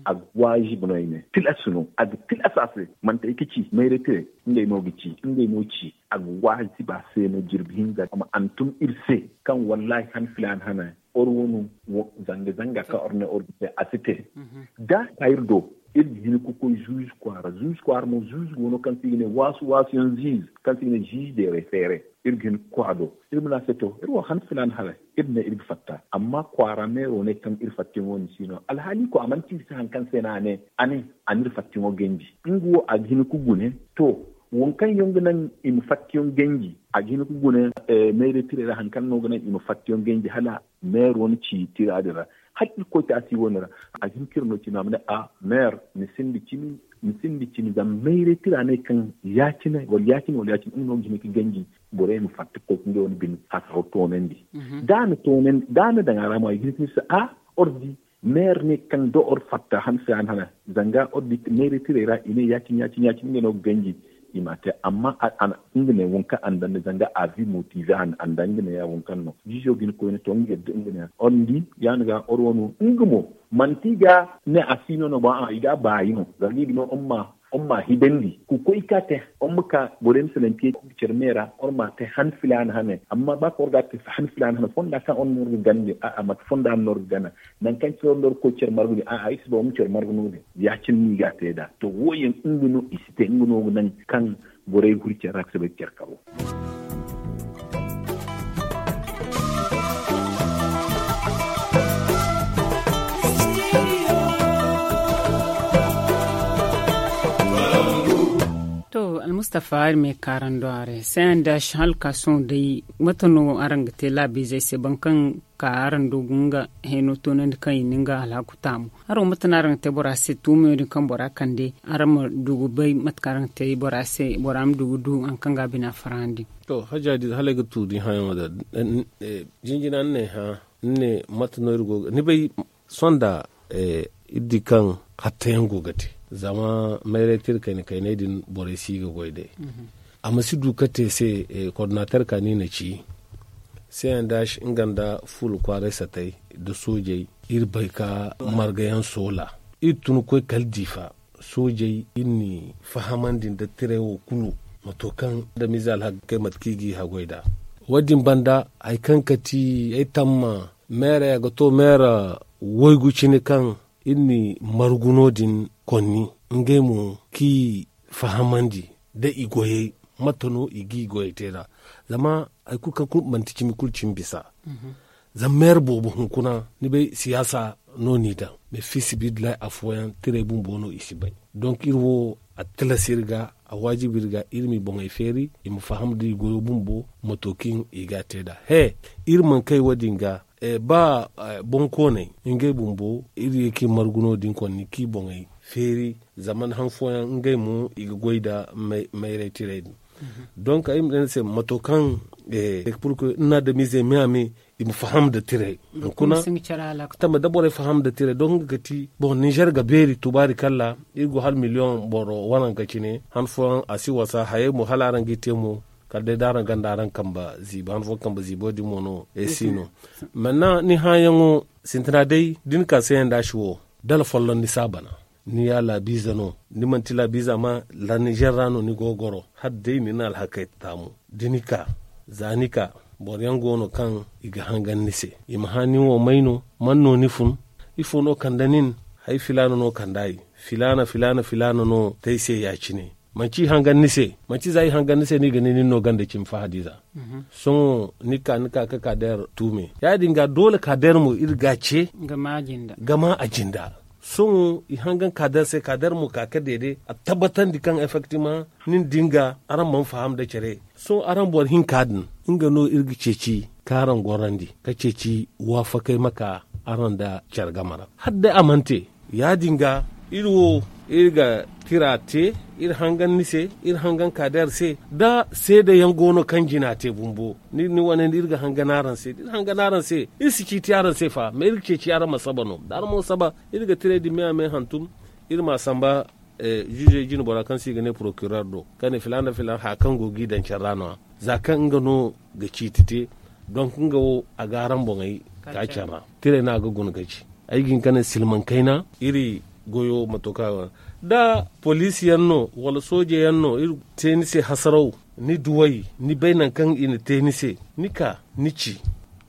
A ga waajibi no ay ne tilas no a ga tilas a se manti ay ga ci mayray tiray ngey no ga ci ngey no ci a ga waajibi a se no jirbi hinza a ma hantum iri se kaŋ wallaahi han filaana hane or wo no zanga zanga kaŋ or ne or ga te a si te. Da ka iri do iri ga hin ga koy zuuzu kwaara zuuzu kwaara mo zuuzu go no kaŋ se i ga ne waasu waasu yaŋ ziizi kaŋ se i ga ne ziizi deeray feeray iri ga hin ga koy a do iri ma ne a se to iri wo han filaana hane iri ne iri ga fatta amma kwaara meero ne kaŋ iri fatta yaŋo ni si no alhaali ko a mana ci iri se hari kaŋ se no a ne a ne a na iri fatta yaŋo ganji. Nga wo a ga hin ga gune to waŋ kaŋ yaŋ ga naŋ i ma fatta yaŋ ganji a ga hin ga gune meeray tiray ra hari kaŋ no ga naŋ i ma fatta yaŋ ganji hala meero na ci tira din ra. Hala irkoy taasi wo- din ra a ga hin ka iri no cine a ma ne a meer ni sinda cimi ni sinda cimi zama meeray tira ne kaŋ ya- cine wala ya- cine wala ya- cine nga no ga hin ga ganji borey ma fatta ga koy ga ngey wane bine hasaro toonandi. Da a na daŋ a ra mo a ga hin ga ne se a or di meer ne kaŋ da or fatta han se a na hana zanga or di meeray tiray ra i ne ya- cine ya- cine ya- cine ngey no ga ganji i m'a te amma nga ne waŋ kaŋ a na daŋ ni zanga a vi motive a na daŋ nga ne ya waŋ kaŋ no jiizo ga hin koyne to nga yadda nga ne ya or ni di ya- din ga or wano nga mo manti i ga ne a si no no ba a i ga a baayi no zanga i ga ne or ma or ma hidandi ka koy ka te or ma ka borey ma salaŋ te care me ra or ma te han filaana hane amma ba kaŋ or ga a te han filaana hane fonda kaŋ or no or ga gana din a'a mate fonda no or ga gana nangu kaŋ care or no or ga koy care margu din a'a iri si ba war ma care margu no- din ya- cine no i ga a te nd'a to wo- yaŋ nga no i si te nga no ga naŋ kaŋ borey ga huri care ra ga soobay ga care karo. To almustafa iri ma ay kaarando a ra se a nda si hala ka sohõ day mate no araŋ ga te laabiizey se boro kaŋ ka araŋ do ga nga heno toonandi kaŋ i na nga alhaku taamu haro mate no araŋ ga te bora se tuumayo din kaŋ bora kande araŋ ma du ga bay mate kaŋ araŋ ga te bora se bora ma du ga du hari kaŋ ga a bina farhandi. To hajja din hala ay ga tuuri hayaŋo da jinjina ni ne hã ni ne mate no iri go ga ni bay sonda iri di kaŋ hattayaŋ go ga te zama mayray tira kayna kaynay din borey si ga goy day a ma si du ga te se koordinater ka ni na ci se yaŋ da nga nda fuula kwaaray satay nda soojey iri bay ka margayaŋ soola iri tun ga koy kala diifa soojey iri n'i fahamandi nda tiray wo kulu mato kaŋ adamize alhakey mate kaŋ i g'i haggoy nd'a wo- din banda hari kaŋ ga ti ay tamma meera ya ga to meera waygu cine kaŋ iri n'i margu no- din konni ngey mo kaŋ i fahamandi nda i goyey mate no i g'i goyey te nd'a zama hari kulu kaŋ kulu manti cimi kulu cimi bisa zama meera boobo hunkuna ni bay siyaasa no n'i daŋ mais fiisabilillahi afooyaŋ tiray bumbo no i si bay donk iri wo a tilas iri ga a waajibi iri ga iri m'i boŋey feeri i ma faham da i goyo bumbo mato kaŋ i ga a te nd'a he iri mana kay wo- din ga ba bonkooney ngey bumbo iri ye kaŋ i margu no- din konni kaŋ i boŋey feeri zama han fooyaŋ ngey mo i ga goy nda mayray tiray din donk ay ma ne ni se mato kaŋ iri na adamiizey me a me i ma faham nda tiray hunkuna tamba da borey faham nda tiray donk nga ga ti boŋ ninzeer ga beeri tubaari kalla iri go hala miliyoŋ boro waranka cine han fooyaŋ a si wasa hayey mo hala araŋ g'i te mo kala day da araŋ gonda araŋ kambe ziibo han fooyaŋ kambe ziibo din mo no ay si no manna ni hãyaŋo sintina day da ni ka seeyaŋ da si wo dala folloŋ ni si a bana Ni ya laabiize no, ni manti laabiize amma la nizer ra no ni go ga goro. Hala day ni na alhakey taamu da ni ka, za ni ka, boro yaŋ go no kaŋ i ga hangan ni se. I ma hã nin wo may no? Man no ni fun? Ifo no kande nin? Hari filaana no kande ay. Filaana filaana filaana no te ay se ya- cine. Manci i hangan ni se. Manci za i hangan ni se no i ga ne nin no ganda cimi fahadiiza. Sohõ ni ka ni ka ka kaadeer tuume ya- din ga doole kaadeer mo iri ga a ce ga ma a jinda. Sohõ i hangan kaadeer se kaadeer mo ka ka deede a tabbatandi kaŋ effektiman nin din ga araŋ mana faham nda care. Sohõ araŋ boro hinka din nga no iri ga ceeci kaŋ araŋ gorandi ka ceeci waafakey ma ka araŋ nda care game ra hala day a mana te. Ya- din ga iri wo iri ga tira te, iri hangan ni se, iri hangan kaadeer se. Da seede yaŋ go no kaŋ jina te bumbo ni wane nda iri ga hangan araŋ se da iri hangan araŋ se iri si ciiti araŋ se fa mais iri ga ceeci araŋ ma saba no da araŋ mo saba. Iri ga tirey din me a me hantum iri ma a samba. Ziizey jinbora kaŋ se i ga ne porokirer do ka ne filaana filaana haya kaŋ go ga i daŋ care ra no- ya za kaŋ nga no ga ciiti te. Donk nga wo a ga araŋ boŋey ka care ra. Tirey no a ga guna ga ci ay ga hin ka ne silmaŋ kayna iri goyo mato kaŋ a go. Da poliisi yaŋ no wala sooje yaŋ no iri te ni se hasaraw, ni duw'ey, ni bay nangu kaŋ i na te ni se, ni ka ni ci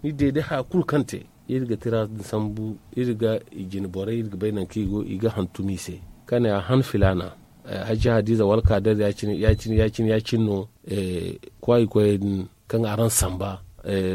ni deede haya kulu kaŋ te. Iri ga tira din sambu iri ga i jine borey iri ga bay nangu kaŋ i go i ga hantum i se ka ne a han filaana. Hajji hadiiza wala kaadeer ya- cine ya- cine ya- cine no. Kwaayi koyey din kaŋ araŋ samba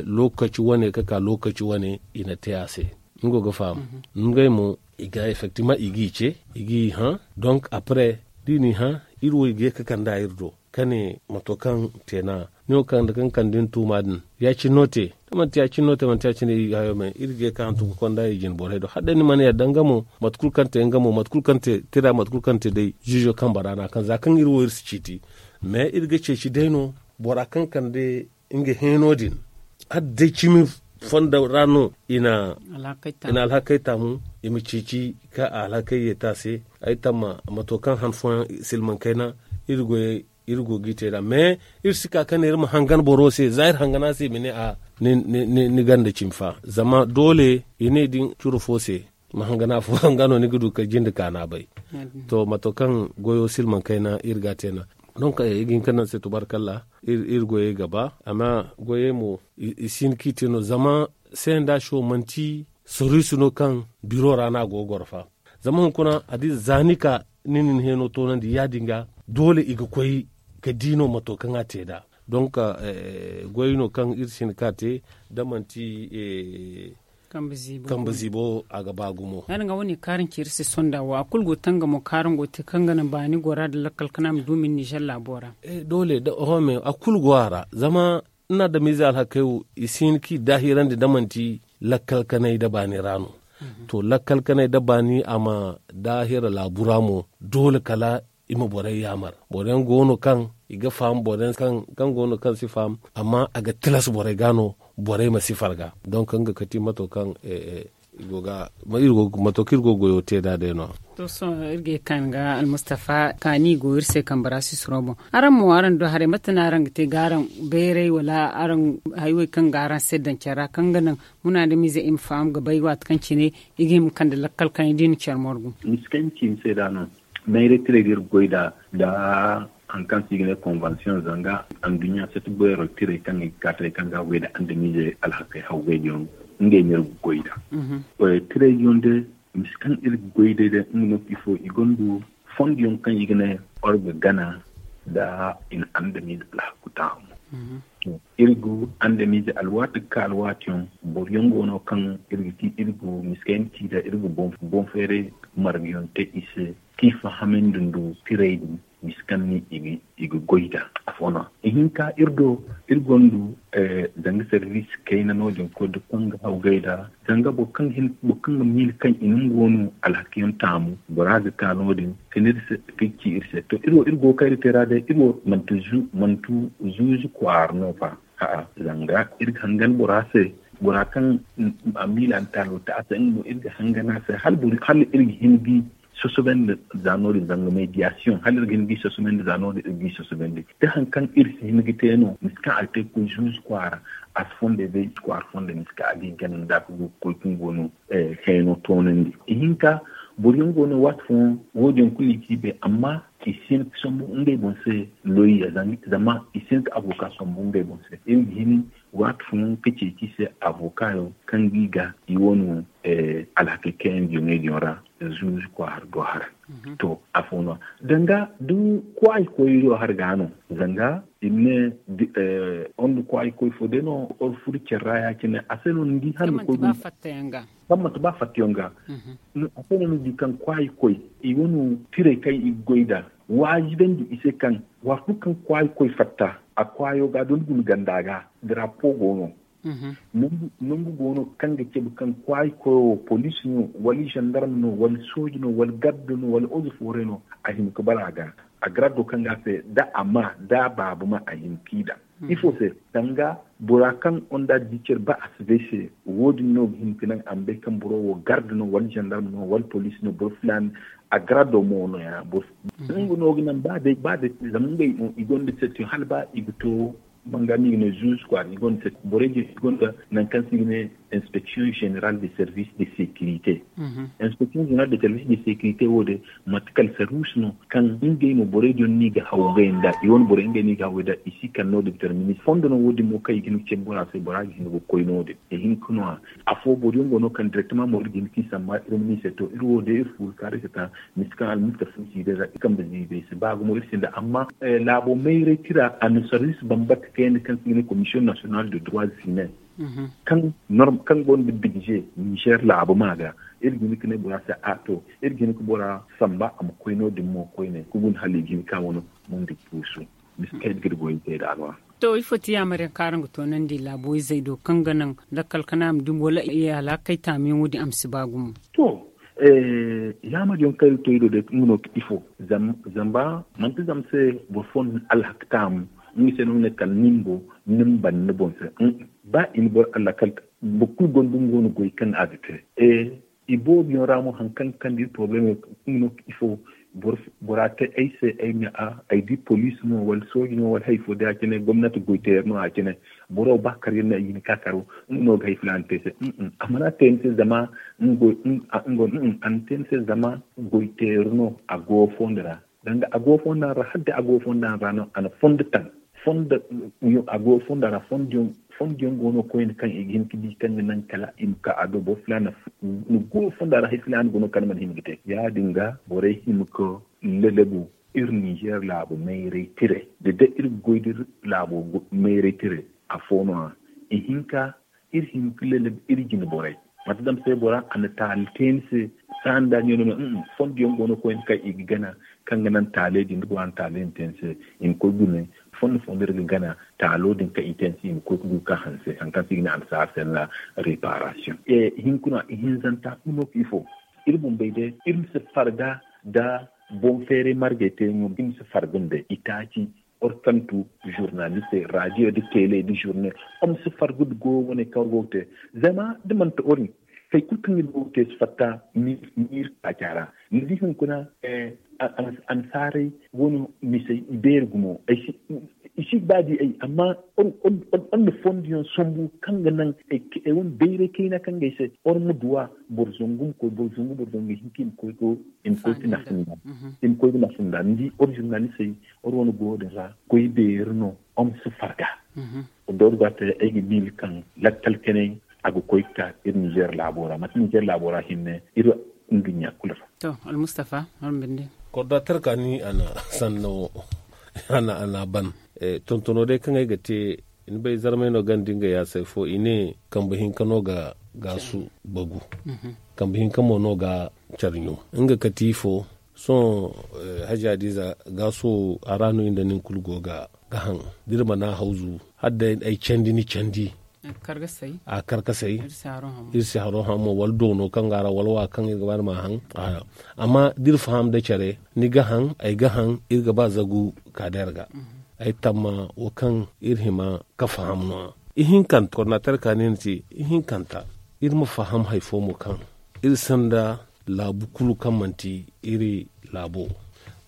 lookaci wane ga ka lookaci wane i na te a se. Ni go ga faham? Ngey mo i ga effektiman i g'i ce, i g'i hã. Donk apre da i n'i hã, iri wo i ga ye ga kand'a iri do ka ne mato kaŋ te no a ne wo kande kaŋ kande ni tuuma din ya- cine no te. Da manti ya- cine no te manti ya- cine iri ga ye ga hantum ga konda i jine borey do hala day ni mana yadda nga mo mate kulu kaŋ te nga mo mate kulu kaŋ te tira mate kulu kaŋ te day ziizo kambe ra no a kaŋ za kaŋ iri wo iri si ciiti. Mais iri ga ceeci day no bora kaŋ kande nga heeno din hala day cimi fondo ra no i na alhakey taamu i ma ceeci ka a alhakey yeeti a se. Ay tamma mato kaŋ han fooyaŋ silmaŋ kayna iri go ga i te nd'a mais iri si ka ka ne iri ma hangan boro se za iri hangan a se i ma ne a ni ganda cimi fa zama doole i ne din curo fo se ma hangan afo nga no ni ga du ka jinde kaana bay. To mato kaŋ goyo silmaŋ kayna iri ga a te nd'a. Donk i ga hin ka naŋ se tubaarkalla iri goyey ga ba amma goyey mo i si hin ka i te no zama senda show manti soriisi no kaŋ biro ra no a go ga goro fa. Zama hunkuna a di za ni ka ni na ni heeno toonandi ya- din ga doole i ga koy ka di no mato kaŋ a te nd'a. Donk goy no kaŋ iri si hin ka te da manti kambe ziibo a ga ba gumo. Ya- din ga wane kaaraŋ ci iri se sonda wo a kulu go tangamo kaaraŋ go te kaŋ ga naŋ baani gora nda lakkal kana ma du min nizer laabo ra. Doole da oho me a kulu go a ra zama ni na adamize alhakey wo i si hin ka i daahirandi da manti lakkal kanay da baani ra no. To lakkal kanay da baani a ma daahira laabu ra mo doole kala i ma borey yaamar boro yaŋ go no kaŋ i ga faham boro yaŋ kaŋ go no kaŋ si faham amma a ga tilas borey ga no borey ma si farga. Donk nga kati mato kaŋ i go ga mato kaŋ iri go ga goyo te nd'a day no- ya. To sohõ iri ga ye kaani ga almustafa kaani go iri se kambe ra sisiro boŋ. Araŋ mo araŋ du haray mate no araŋ ga te ga araŋ bayray wala araŋ haywey kaŋ ga araŋ se daŋ care ra kaŋ ga naŋ munaadamiize i ma faham ga bay waati kaŋ cine i ga hima ga kande lakkal kaŋ i di no care morgu. Miskancin se da no mayray tirey ga iri ga goy nd'a nda hari kaŋ se i ga ne konvansiyoŋ zanga anduɲɲa sati beero tirey kaŋ i ga ka tirey kaŋ ga a goy nda andamiizey alhakey hawgaydiyaŋ ngey no iri ga goy nd'a. Tirey yaŋ day misi kaŋ iri ga goy day day nga no ifo i gonda fondiyaŋ kaŋ i ga ne orga gana nda i na andamiize alhaku taamu. Iri go andamiize alwaati ga ka alwaatiyaŋ boroyaŋ go no kaŋ iri ga ti iri go miskayna ci nda iri ga boŋ feeray margayaŋ te i se kaŋ i fahamandi nda tirey din misi kaŋ no i ga goy nd'a. Afo no ihinka iri do iri gonda zanga sarbiisi kayna no- din koy nda kaŋ ga hawgay nd'a zanga boro kaŋ ga miila kaŋ i na nga wano alhakiyaŋ taamu bora ga ka no- din ka ci iri se to iri wo iri go ga kayra te ra day iri wo manti zuuzu kwaara no fa. A'a zanga iri ga hangan bora se bora kaŋ a miila nda taalo te a se nga mo iri ga hangan a se hala iri ga hin ga i sosobandi za no- din zanga mediyasiyoŋ hala iri ga hin ga i sosobandi za no- din iri ga i sosobandi da hari kaŋ iri si hin ga te no misi kaŋ a ga te ga koy zuuzu kwaara a si fondey bay kwaara fondey misi kaŋ a ga hin ga naŋ da a ga go ga koy kaŋ go no hayno toonandi ihinka Boro yaŋ go no waati fooyaŋ wo- din kulu i ci bay amma i si hin ka sambu ngey boŋ se. Loyya zama i si hin ka avoka sambu ngey boŋ se iri ga hin waati fooyaŋ ka ceeci i se avoka yaŋ kaŋ ga i ga i wane alhakey kaŋ yaŋ ga yoŋey din ra. Zuuzu kwaara do har to afo no danga da kwaayi koy do har ga no zanga i ma ne wanda kwaayi koy fo day no or furo care ra ya- cine a se no ni di handu koy kaŋ manti ba fattayaŋ ga a se no ni di kaŋ kwaayi koy i wane tirey kaŋ i ga goy nd'a waajibandi i se kaŋ waati kulu kaŋ kwaayi koy fatta a kwaayo ga da ni guna ganda ga drapo go no. Nangu go no kaŋ ga cabe kaŋ kwaayi koyo poliisi no wala zandarma no wala sooji no wala garda no wala ozo fooray no a hima ga bara ga a garado kaŋ ga a se da a ma da a baaba ma a hima ga i daŋ ifo se danga bora kaŋ onda di care ba a si bay se wo- din no ga hin ga naŋ a ma bay kaŋ boro wo garda no wala zandarma no wala poliisi no boro filaana a garado mo no- ya boro nga no ga naŋ ba day ba day zama ngey i gonda setiyo hala ba i ga to banga no i ga ne zuuzu kwaara i gonda setiyo borey din i gonda nangu kaŋ se i ga ne inspeksiyoŋ zeneral de service de securite. Inspeksiyoŋ zeneral de service de securite wo- din mate kala sarwiisi no kaŋ ngey no borey din no i ga haw ngey nda i wane borey ngey no i ga haw ngey nda i si kala no- din ga tara ministir fondo no wo- din mo kaŋ i ga hin ga cabe bora se bora ga hin ga koy no- din i hin ga no- ya afo boro yaŋ go no kaŋ direktama mo iri ga hin ga i samba iri ma ne i se to iri wo day iri fuuru kaari se ta misi kaŋ almustafa ni si day ra iri kambe ziibi ay si ba gumo iri sinda amma laabo mayray tira a na sarwiisi bambata kayandi kaŋ se i ga ne komisiyoŋ nasiyonal de droits humains kaŋ gonda bidze nizer laabo ma ga iri ga hin ga ne bora se a to iri ga hin ga bora samba a ma koy no- din mo koyne ga guna hala i ga hin ga ka wano mundi kuusu. Misi kaŋ iri ga iri goyey te nd'a no- ya. To ifo ti yaamar yaŋ kaŋ araŋ ga toonandi laabo izey do kaŋ ga naŋ lakkal kana a ma dumi wala i alhakey taamiyaŋo din a ma si ba gumo? To yaamar yaŋ kaŋ iri to iri do day nga no ga ifo zama manti zama se boro fo na ni alhaka taamu nga se no nga ne kala nin bo ni ma banda ni boŋ se. Ba i na boro alhaka boro kulu gonda nga wane goy kaŋ a ga te. Iboobo yaŋ ra mo hari kaŋ ga kande iri porobalem yaŋ nga no ga ifo bora te ay se ay ma a ay di poliisi no wala sooji no wala hari fo day a cine gomnati goyteeri no a cine boro ba kar yaŋ no ay ga hin ga ka karo nga no ga hari filaana te ay se. A mana te ni se zama nga go a na te ni se zama goyteeri no a go fondo ra danga a go fondo ra hala day a go fondo ra no a na fondo taŋ fondo a go fondo ra fondo yaŋ go no koyne kaŋ i ga hin ga di kaŋ ga naŋ kala i ma ka a do boro filaana ni go fondo ra hari filaana go no kaŋ ni mana hima ga te ya- din ga borey hima ga lalabu iri nizer laabu mayray tire da day iri ga goy da iri laabo mayray tire afo no- ya ihinka iri hin ga lalabu iri jine borey mate dama se bora a na taali te ni se saani da ni no fondo yaŋ go no koyne kaŋ i ga gana kaŋ ga naŋ taaley din da bora na taaley din te ni se i ma koy gune fondo fondo iri ga gana taalo din kaŋ i te ni se i ma koy ga du ga ka hanse hari kaŋ se i ga ne annasaara se no- ya reparasiyoŋ. Hunkuna ihinzanta kulu no ga ifo iri bumbey day iri ma si farga nda boŋ feeray margey te yaŋo iri ma si farga nda itaaci orkantu zurnalistey radiyo nda tele nda zurne iri ma si farga nda goyo wane kaŋ iri go ga te zama da manti iri hari kulu kaŋ iri go ga te si fatta miiri taaca ra ni di hunkuna annasaarey wano misey i beeri gumo ay si i si ga ba di ay amma iri na fondo yaŋ sambu kaŋ ga naŋ ay wane bayray kayna kaŋ ga ay se iri ma duw'a boro zangu ma koy boro zangu boro zangu i hin ka i ma koy ga nafa nda ni di iri zurnalistey iri wane goyo din ra goy beeri no iri ma si farga da iri ga te ay ga miila kaŋ lakkal kanay a ga koy ga ka iri nizer laabo ra manti nizer laabo ra hinne iri nduɲɲa kulu ra. To almustafa iri ma binde. Kordaatar kaani a na sanno a na a na a ban tontono day kaŋ ay ga te ni bay zarmey no ganda nga yaasay fo i ne kambe hinka no ga gaasu bagu kambe hinka mo no ga care ɲum nga kati fo sohõ hajiya diiza gaaso a ra no i nda nin kulu go ga haŋ da iri mana hawzu hala day ay candi ni candi a karkasay iri si haro haŋ mo wala doono kaŋ ga a ra wala wa kaŋ iri ga ba ni ma haŋ amma da iri faham da care ni ga haŋ ay ga haŋ iri ga ba zagu ka day a ra ga ay tamma wo kaŋ iri hima ga faham no- ya ihinkanta kordinater ka ne ni te ihinkanta iri ma faham hari fo mo kaŋ iri sinda laabu kulu kaŋ manti iri laabo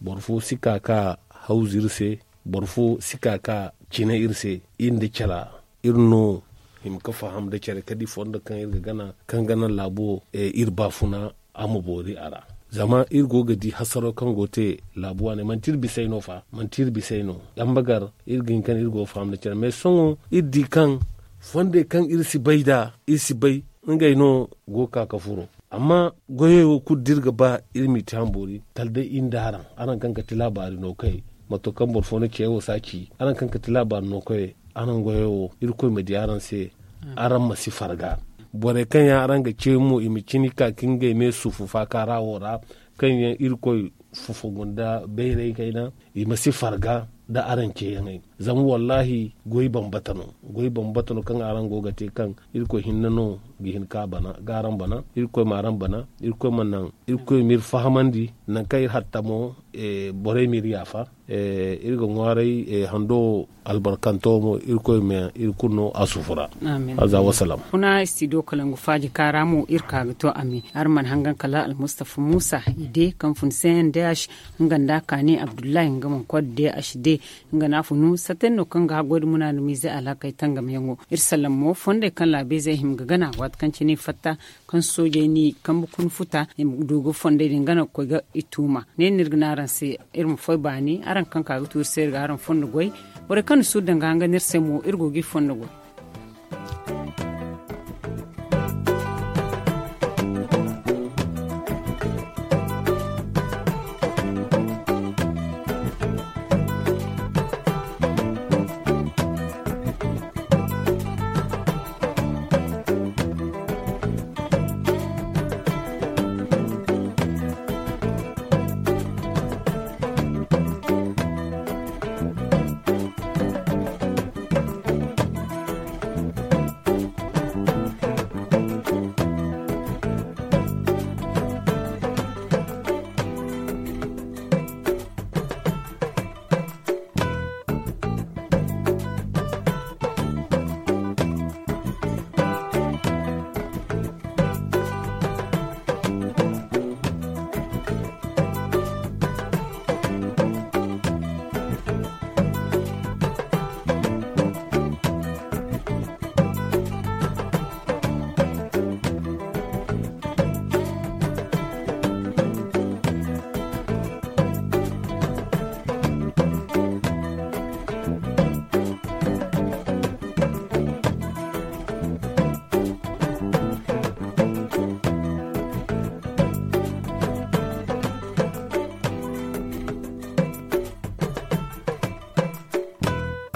boro fo si ka ka hawzu iri se boro fo si ka ka cine iri se iri nda cara iri no hima ga faham nda care kala da i fondo kaŋ iri ga gana kaŋ ga naŋ laabo iri baafuna a ma boori a ra Zama iri go ga di hasaro kaŋ go te laabu waaney manti iri bisey no fa manti iri bisey no. Dambagar iri ga hin kaŋ iri go ga faham nda care mais sohõ iri di kaŋ fondey kaŋ iri si bay nd'a iri si bay ngey no go ga ka ga furo. Amma goyey wo kulu da iri ga ba iri m'i te ham boori kala day iri nda araŋ araŋ kaŋ ga ti laabaari no kay mato kaŋ boro fo na ce wo si a ci araŋ kaŋ ga ti laabaari no kay araŋ goyey wo irkoy ma di araŋ se. Araŋ ma si farga borey kaŋ yaŋ araŋ ga ce mo i ma cini ka ka ngey me sufu faaka ra wo ra kaŋ yaŋ irkoy fufugu nda bayray kayna i ma si farga nda araŋ ceeyaŋey. Zama wallaahi goy bambata no goy bambata no kaŋ araŋ go ga te kaŋ irkoy hinne no ga hin ka g'araŋ bana irkoy ma araŋ bana irkoy ma naŋ irkoy m'iri fahamandi nangu kaŋ iri hatta mo borey m'iri yaafa. Iri ga ŋwaaray hando wo albarkanto mo irkoy ma iri kulu no a sufu ra. Aza wasalaam. Kuna studio kalangu faaji kaara mo iri ka ga to a me araŋ mana hangan kala almustafa muusa i de kaŋ fun cndh nga nda a kaani abdullahi nga mana koy da de a si de. Nga no a funu satten no kaŋ ga haggoy da munaadamiize alhakey tangamyaŋo iri sallam mo fondey kaŋ laabiizey hima ga gana waati kaŋ cine i fatta kaŋ soojey n'i kambe kuna futa i ma du ga fondey din gana ga koy ga i tuuma ne no iri ga ne araŋ se. Iri ma foy baani araŋ kaŋ ka ga tuuri se iri ga araŋ fondo goy borey kaŋ na suuru danga hanga no iri se mo iri go ga i fondo goy.